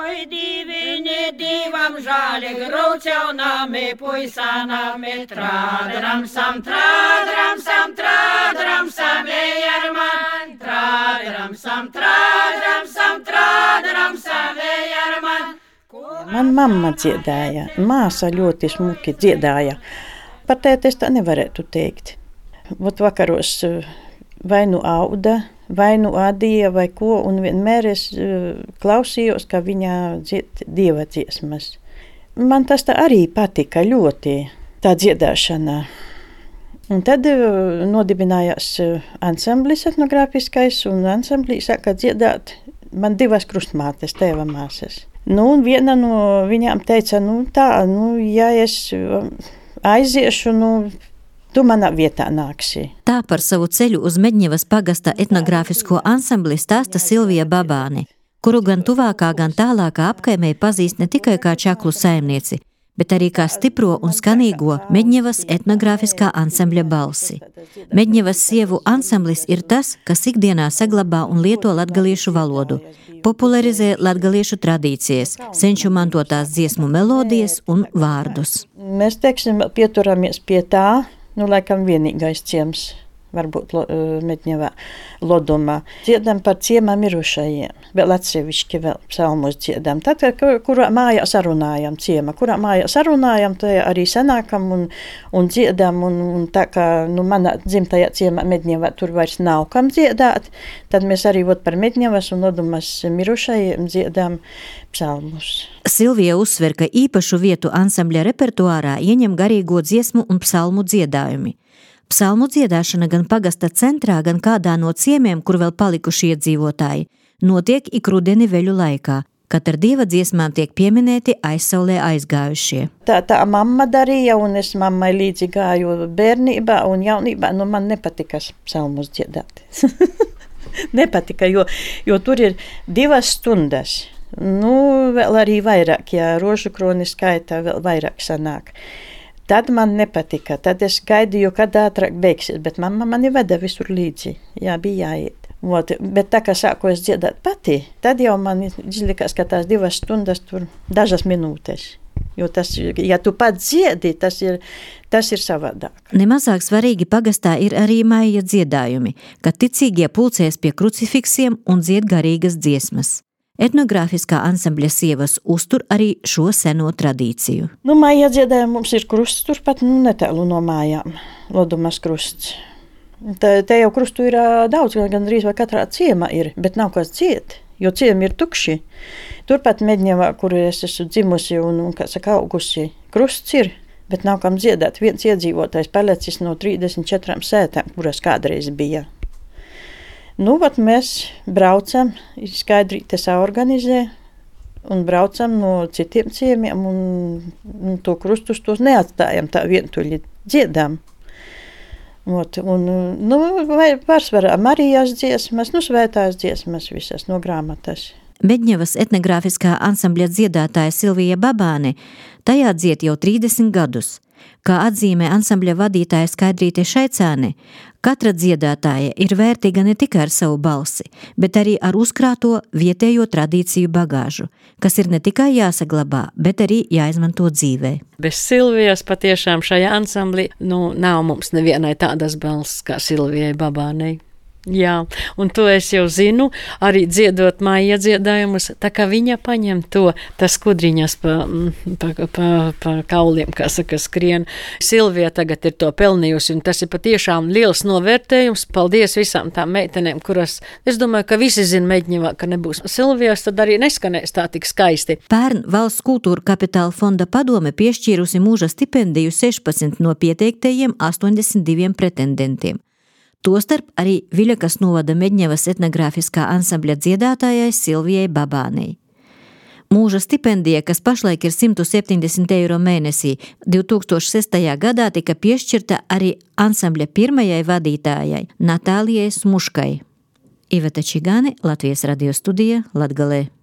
Oi, divini, divam žāli, grūčaunami, puisanami, trādram sam, ejarman, trādram sam, ejarman. Man mamma dziedāja, māsa ļoti smuki dziedāja. Par tēti es tā nevarētu teikt. Vot vakaros vai nu auda, vai nu ādīja, vai ko, un vienmēr es klausījos, ka viņa dzied dieva dziesmas. Man tas tā arī patika ļoti, tā dziedāšana. Un tad nodibinājās ansamblis etnogrāfiskais, un ansamblī sāka dziedāt man divas krustmātes, tēva māsas. Un viena no viņām teica, ja es aiziešu, tu manā vietā nāksi. Tā par savu ceļu uz Medņevas pagasta etnogrāfisko ansambli stāsta Silvija Babāne, kuru gan tuvākā, gan tālākā apkaimē pazīst ne tikai kā čaklu saimnieci, bet arī kā stipro un skanīgo Medņevas etnogrāfiskā ansambļa balsi. Medņevas sievu ansamblis ir tas, kas ikdienā saglabā un lieto latgaliešu valodu, popularizē latgaliešu tradīcijas, senču mantotās dziesmu melodijas un vārdus. Mēs, pieturamies pie tā, laikam vienīgais ciems, varbūt Medņevā, Lodumā. Dziedam par ciemā mirušajiem, vēl atsevišķi vēl psalmus dziedam. Tad, kurā mājā sarunājam ciema, tā arī sanākam un dziedam, un tā kā manā dzimtajā ciemā Medņevā tur vairs nav kam dziedāt, tad mēs arī par Medņevas un Lodumas mirušajiem dziedam psalmus. Silvija uzsver, ka īpašu vietu ansambļa repertuārā ieņem garīgo dziesmu un psalmu dziedājumi. Psalmu dziedāšana gan pagasta centrā, gan kādā no ciemiem, kur vēl palikuši iedzīvotāji, notiek ik rudeni veļu laikā, kad ar dieva dziesmām tiek pieminēti aizsaulē aizgājušie. Tā mamma darīja, un es mammai līdzi gāju bērnībā un jaunībā, man nepatika psalmus dziedāt. Nepatika, jo tur ir 2 stundas. Vēl arī vairāk, ja rožu kroni skaitā, vēl vairāk sanāk. Tad man nepatika, tad es gaidīju, kad ātrāk beigsies, bet mamma mani veda visur līdzi, bija jāiet. Bet tā kā sāku es dziedāt pati, tad jau man izlikās, ka tās 2 stundas tur dažas minūtes. Jo tas, ja tu pats dziedi, tas ir savādāk. Nemazāk svarīgi pagastā ir arī maija dziedājumi, kad ticīgie pulcēs pie krucifiksiem un dzied garīgas dziesmas. Etnogrāfiskā ansambļa sievas uztur arī šo seno tradīciju. Maija dziedājumi mums ir krusts turpat netālu no mājām, Lodumas krusts. Te jau krustu ir daudz, gandrīz vai katrā ciemā ir, bet nav kas dzied, jo ciemi ir tukši. Turpat Medņevā, kur es esmu dzimusi un augusi, krusts ir, bet nav kam dziedāt. Viens iedzīvotājs palicis no 34 sētām, kuras kādreiz bija. Mēs braucam, skaidrīte saorganizē un braucam no citiem ciemiem un to krustus tos neatstājam tā vientuļi dziedam. Vai pārsvarā Marijas dziesmas, svētās dziesmas visas no grāmatas. Medņevas etnogrāfiskā ansambļa dziedātāja Silvija Babāne tajā dzied jau 30 gadus. Kā atzīmē ansambļa vadītāja Skaidrīte Šaicāne, katra dziedātāja ir vērtīga ne tikai ar savu balsi, bet arī ar uzkrāto vietējo tradīciju bagāžu, kas ir ne tikai jāsaglabā, bet arī jāizmanto dzīvē. Bez Silvijas patiešām šajā ansamblī nav mums nevienai tādas balss kā Silvijai Babānei. Jā, un to es jau zinu, arī dziedot māja dziedājumus, tā kā viņa paņem tas kudriņas pa kauliem, kā saka, skrien. Silvija tagad ir to pelnījusi, un tas ir patiešām liels novērtējums. Paldies visām tām meitenēm, kuras, es domāju, ka visi zina Medņevā, ka nebūs Silvijas, tad arī neskanēs tā tik skaisti. Pērn Valsts kultūra kapitāla fonda padome piešķīrusi mūža stipendiju 16 no pieteiktajiem 82 pretendentiem. Tostarp arī Viļakas novada Medņevas etnogrāfiskā ansambļa dziedātājai Silvijai Babānei. Mūža stipendija, kas pašlaik ir 170 eiro mēnesī, 2006. gadā tika piešķirta arī ansambļa pirmajai vadītājai Natālijai Smuškai. Iveta Čigāne, Latvijas radio studija, Latgalē.